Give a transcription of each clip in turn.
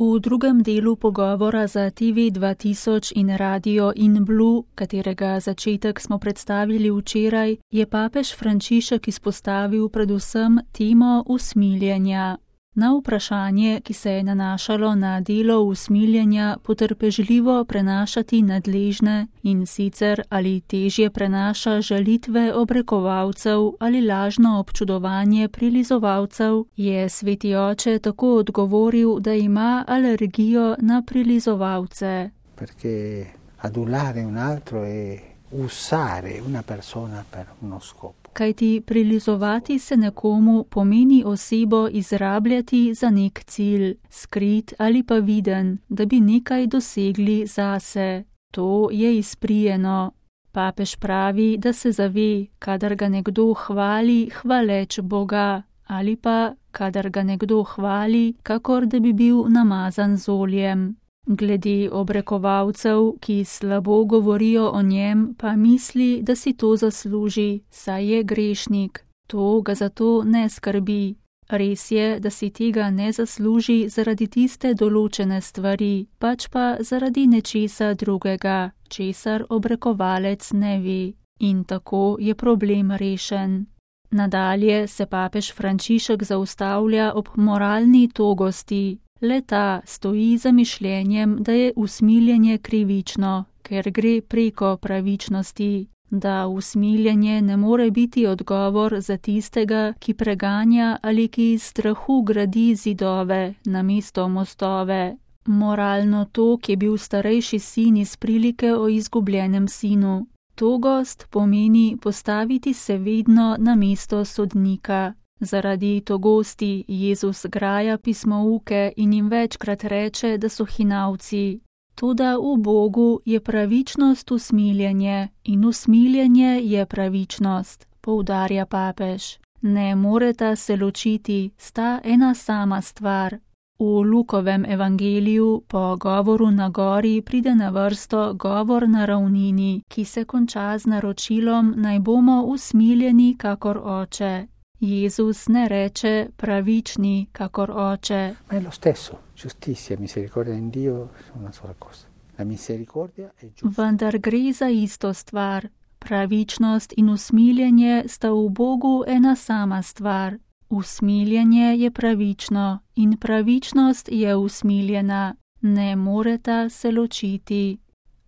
V drugem delu pogovora za TV 2000 in Radio in Blue, katerega začetek smo predstavili včeraj, je papež Frančišek izpostavil predvsem temo usmiljenja. Na vprašanje, ki se je nanašalo na delo usmiljenja, potrpežljivo prenašati nadležne in sicer ali težje prenaša žalitve obrekovalcev ali lažno občudovanje prilizovalcev, je sveti oče tako odgovoril, da ima alergijo na prilizovalce. Perché adulare un altro e usare una persona per uno scopo. Kajti prilizovati se nekomu pomeni osebo izrabljati za nek cilj, skrit ali pa viden, da bi nekaj dosegli zase. To je izprijeno. Papež pravi, da se zave, kadar ga nekdo hvali, hvaleč Boga, ali pa kadar ga nekdo hvali, kakor da bi bil namazan z oljem. Glede obrekovalcev, ki slabo govorijo o njem, pa misli, da si to zasluži, saj je grešnik. To ga zato ne skrbi. Res je, da si tega ne zasluži zaradi tiste določene stvari, pač pa zaradi nečesa drugega, česar obrekovalec ne ve. In tako je problem rešen. Nadalje se papež Frančišek zaustavlja ob moralni togosti. Le-ta stoji za mišljenjem, da je usmiljenje krivično, ker gre preko pravičnosti, da usmiljenje ne more biti odgovor za tistega, ki preganja ali ki iz strahu gradi zidove namesto mostove. Moralno tok je bil starejši sin iz prilike o izgubljenem sinu. Togost pomeni postaviti se vedno na mesto sodnika. Zaradi togosti Jezus graja pismouke in jim večkrat reče, da so hinavci. Toda v Bogu je pravičnost usmiljenje in usmiljenje je pravičnost, poudarja papež. Ne moreta se ločiti, sta ena sama stvar. V Lukovem evangeliju po govoru na gori pride na vrsto govor na ravnini, ki se konča z naročilom, naj bomo usmiljeni kakor oče. Jezus ne reče pravični kakor oče. Ma è lo stesso, giustizia, misericordia in Dio sono una sola cosa. La misericordia è giusta. Vendar gre za isto stvar. Pravičnost in usmiljenje sta v Bogu ena sama stvar. Usmiljenje je pravično in pravičnost je usmiljena. Ne moreta se ločiti.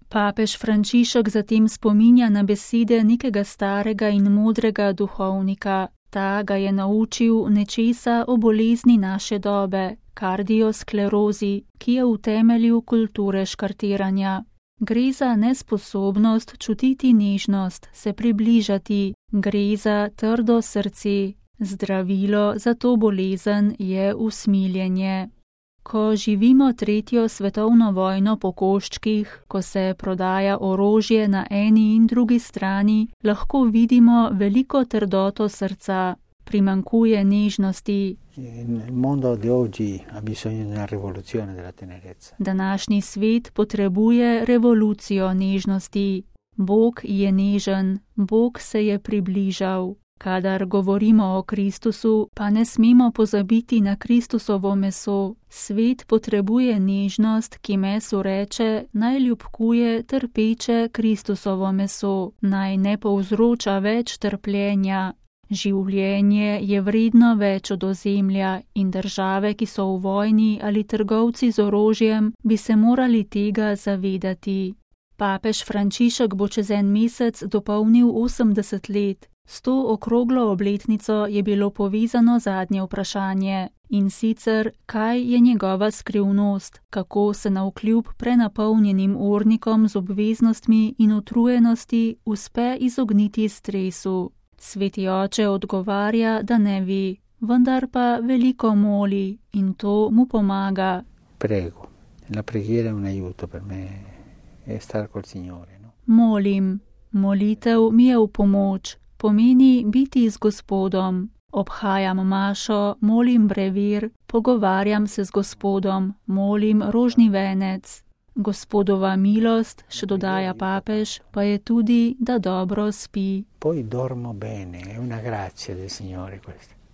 Papež Frančišek zatem spominja na besede nekega starega in modrega duhovnika. Ta ga je naučil nečesa o bolezni naše dobe, kardiosklerozi, ki je v temelju kulture škartiranja. Gre za nesposobnost čutiti nežnost, se približati, gre za trdo srce. Zdravilo za to bolezen je usmiljenje. Ko živimo 3. svetovno vojno po koščkih, ko se prodaja orožje na eni in drugi strani, lahko vidimo veliko trdoto srca, primanjkuje nežnosti. Današnji svet potrebuje revolucijo nežnosti. Bog je nežen, Bog se je približal. Kadar govorimo o Kristusu, pa ne smemo pozabiti na Kristusovo meso. Svet potrebuje nežnost, ki mesu reče, naj ljubkuje trpeče Kristusovo meso, naj ne povzroča več trpljenja. Življenje je vredno več od ozemlja in države, ki so v vojni ali trgovci z orožjem, bi se morali tega zavedati. Papež Frančišek bo čez en mesec dopolnil 80 let. S to okroglo obletnico je bilo povezano zadnje vprašanje, in sicer, kaj je njegova skrivnost, kako se navkljub prenapolnjenim urnikom z obveznostmi in utrujenosti uspe izogniti stresu. Sveti oče odgovarja, da ne ve, vendar pa veliko moli in to mu pomaga. Prego, la preghiera è un aiuto per me, è stare col Signore, no? Molim, molitev mi je v pomoč. Pomeni biti z Gospodom. Obhajam mašo, molim brevir, pogovarjam se z Gospodom, molim rožni venec. Gospodova milost, še dodaja papež, pa je tudi, da dobro spi. Poi dormo bene, è una grazia del Signore questa.